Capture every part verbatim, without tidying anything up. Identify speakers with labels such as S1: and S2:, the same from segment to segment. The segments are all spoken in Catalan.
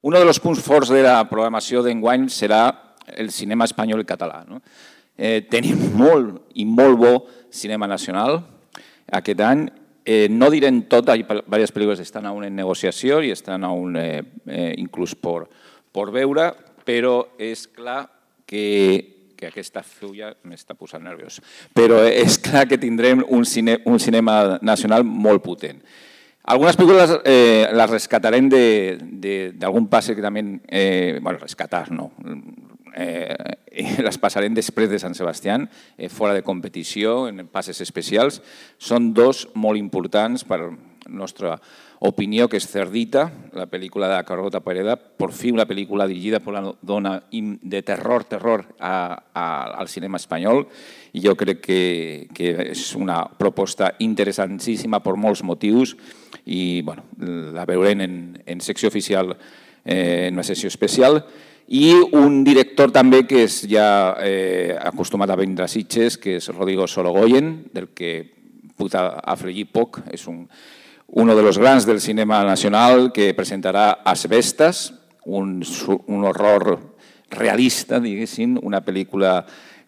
S1: un dels punts forts de la programació d'enguany serà el cinema espanyol i català. No? Eh, tenim molt i molt bo cinema nacional aquest any. Eh, no direm tot, hi ha diverses pel·lícules que estan aún en negociació i estan aún eh, eh, inclús per, per veure, però és clar que que aquesta fulla m'està posant nerviós. Però és clar que tindrem un, cine, un cinema nacional molt potent. Algunes pel·lícules eh, les rescatarem d'algun passe que també... Eh, bueno, rescatar, no. Eh, les passarem després de Sant Sebastià, eh, fora de competició, en passes especials. Són dos molt importants per la nostra opinió, que és Cerdita, la pel·lícula de Carlota Pereda, per fi una pel·lícula dirigida per una dona de terror, terror a, a, al cinema espanyol, i jo crec que, que és una proposta interessantíssima per molts motius i bueno, la veurem en, en secció oficial, eh, en una sessió especial. I un director també que és ja eh, acostumat a vindre a Sitges, que és Rodrigo Sorogoyen, del que puc afegir poc, és un uno de los grans del cinema nacional, que presentarà Asbestas, un, un horror realista, diguéssim, una pel·lícula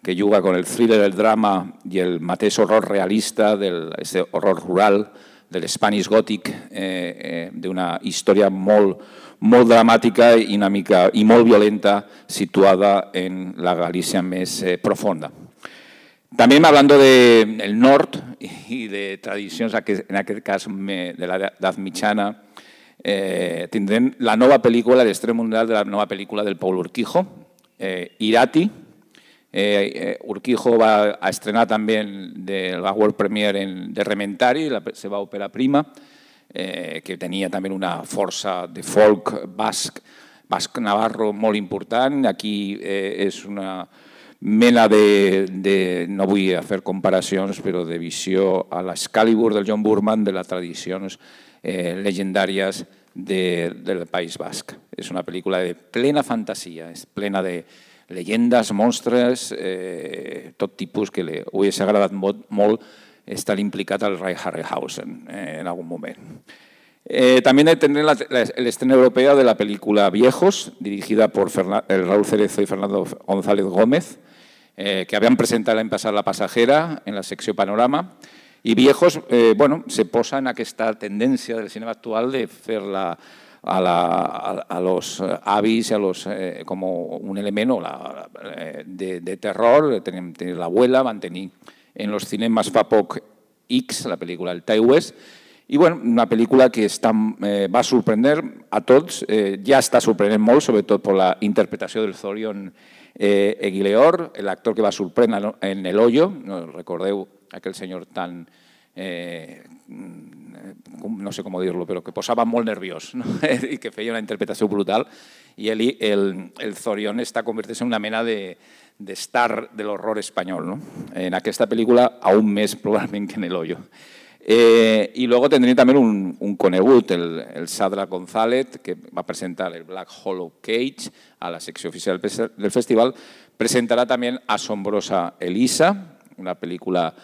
S1: que juga con el thriller, el drama i el mateix horror realista, del este horror rural, del Spanish Gothic, eh, eh, d'una història molt, molt dramàtica i, una mica, i molt violenta, situada en la Galícia més eh, profunda. También hablando del norte y de tradicions, en aquest cas de l'edat mitjana, eh, tindrem la nova pel·lícula, l'estrena mundial de la nova pel·lícula del Paul Urquijo, eh, Irati. Eh, Urquijo va a estrenar també de la World Premiere en, de Rementari, la seva òpera prima, eh, que tenia també una força de folk basc, basc navarro molt important. Aquí eh, és una mena de, de, no vull fer comparacions, però de visió a l'Excalibur del John Boorman, de les tradicions eh, legendàries de, del País Basc. És una pel·lícula de plena fantasia, és plena de llegendes, monstres, eh, tot tipus que li hagués agradat molt, molt estar implicat al Ray Harryhausen eh, en algun moment. Eh, también tendré la, la, el estreno europeo de la película Viejos, dirigida por Fernan, Raúl Cerezo y Fernando González Gómez, eh, que habían presentado l'any passat La Pasajera en la secció Panorama. I Viejos eh, bueno, se posa en aquesta tendència del cinema actual de fer-la a, la, a, a los avis, a los, eh, como un elemento la, de, de terror. Tenim, tenim l'Abuela, van tenir en los cinemas fa poc X, la pel·lícula El Tai West. I bueno, una pel·lícula que està, eh, va sorprendre a tots, eh, ja està sorprenent molt, sobretot per la interpretació del Zorion eh, Eguileor, l'actor que va sorprendre en El Hoyo, no recordeu aquell senyor tan, eh, no sé com dir-lo, però que posava molt nerviós, no? I que feia una interpretació brutal, i el, el, el Zorion està convertint-se en una mena de, de star de l'horror espanyol, no? En aquesta pel·lícula, aún més probablement que en El Hoyo. Eh, y luego tendré también un, un conegut, el, el Sadra González, que va a presentar el Black Hollow Cage a la sección oficial del festival. Presentará también Asombrosa Elisa, una película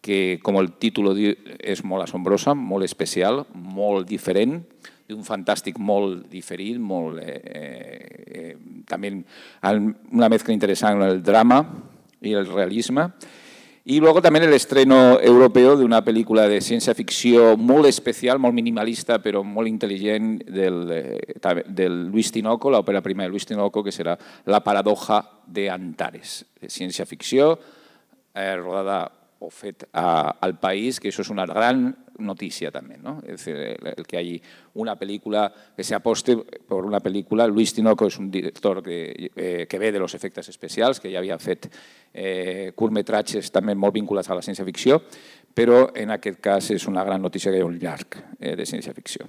S1: que, como el título diu, és molt assombrosa, molt especial, molt diferent, d'un fantàstic molt diferit, molt, eh, eh, també una mezcla interessant en el drama i el realisme. Y luego también el estreno europeo de una película de ciencia ficción muy especial, muy minimalista, pero muy inteligente, del, del Luis Tinoco, la ópera prima de Luis Tinoco, que será La paradoja de Antares, de ciencia ficción, eh, rodada o fet a, al país, que eso es una gran noticia también, ¿no? Es decir, el, el que hay una película que se aposte por una película. Luis Tinoco és un director que, eh, que ve de los efectes especials, que ja havia fet eh, curtmetratges també molt vinculats a la ciència-ficció, però en aquest cas és una gran notícia que hi ha un llarg eh, de ciència-ficció.